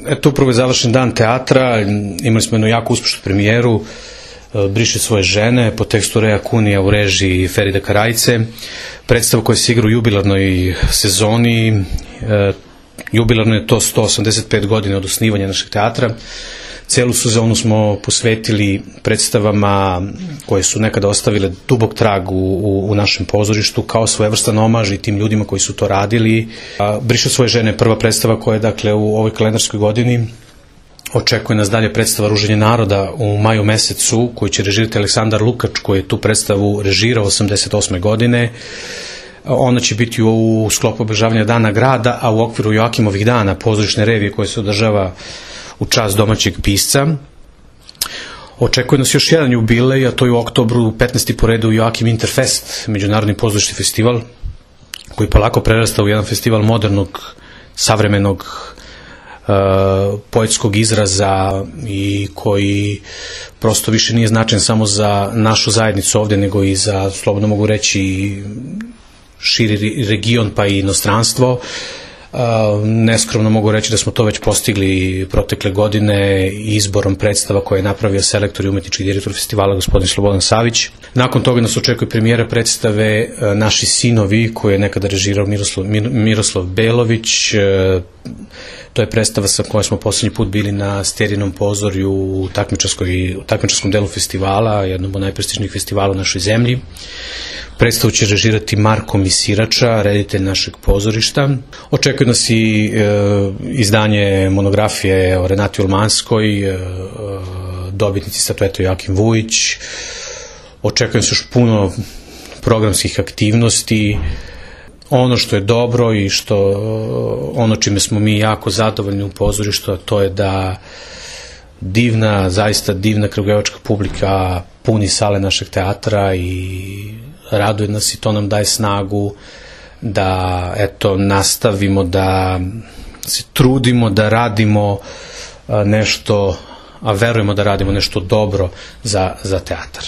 Eto, upravo je završen dan teatra, imali smo jednu jako uspešnu premijeru, Briše svoje žene, po tekstu Reja Kunija u režiji Ferida Karajce, predstava koja se igra u jubilarnoj sezoni, jubilarno je to 185 godina od osnivanja našeg teatra. Celu sezonu smo posvetili predstavama koje su nekada ostavile dubok trag u našem pozorištu, kao svojevrstan omaž i tim ljudima koji su to radili. Briše svoje žene je prva predstava koja je, dakle, u ovoj kalendarskoj godini. Očekuje nas dalje predstava Ruženje naroda u maju mesecu, koju će režirati Aleksandar Lukač, koji je tu predstavu režirao 88. godine. Ona će biti u sklopu obeležavanja Dana grada, a u okviru Joakimovih dana, pozorišne revije koje se održava u čast domaćeg pisca. Očekuje nas još jedan jubilej, a to je u oktobru 15. po redu Joakim Interfest, međunarodni pozorišni festival, koji polako prerasta u jedan festival modernog, savremenog, poetskog izraza i koji prosto više nije značajan samo za našu zajednicu ovde, nego i za, slobodno mogu reći, širi region pa i inostranstvo. Neskromno mogu reći da smo to već postigli protekle godine izborom predstava koje je napravio selektor i umetnički direktor festivala gospodin Slobodan Savić. Nakon toga nas očekuje premijera predstave Naši sinovi, koju je nekada režirao Miroslav Belović. To je predstava sa kojom smo poslednji put bili na Sterinom pozorju u takmičarskom delu festivala, jednom od najprestižnijih festivala u našoj zemlji. Predstavu će režirati Marko Misirača, reditelj našeg pozorišta. Očekuje nas i izdanje monografije o Renati Ulmanskoj, dobitnici statuete Joakim Vujić. Očekuje nas još puno programskih aktivnosti. Ono što je dobro i ono čime smo mi jako zadovoljni u pozorištu, to je da zaista divna kragujevačka publika puni sale našeg teatra i raduje nas i to nam daje snagu da, eto, nastavimo da se trudimo da radimo nešto, a verujemo da radimo nešto dobro za teatar.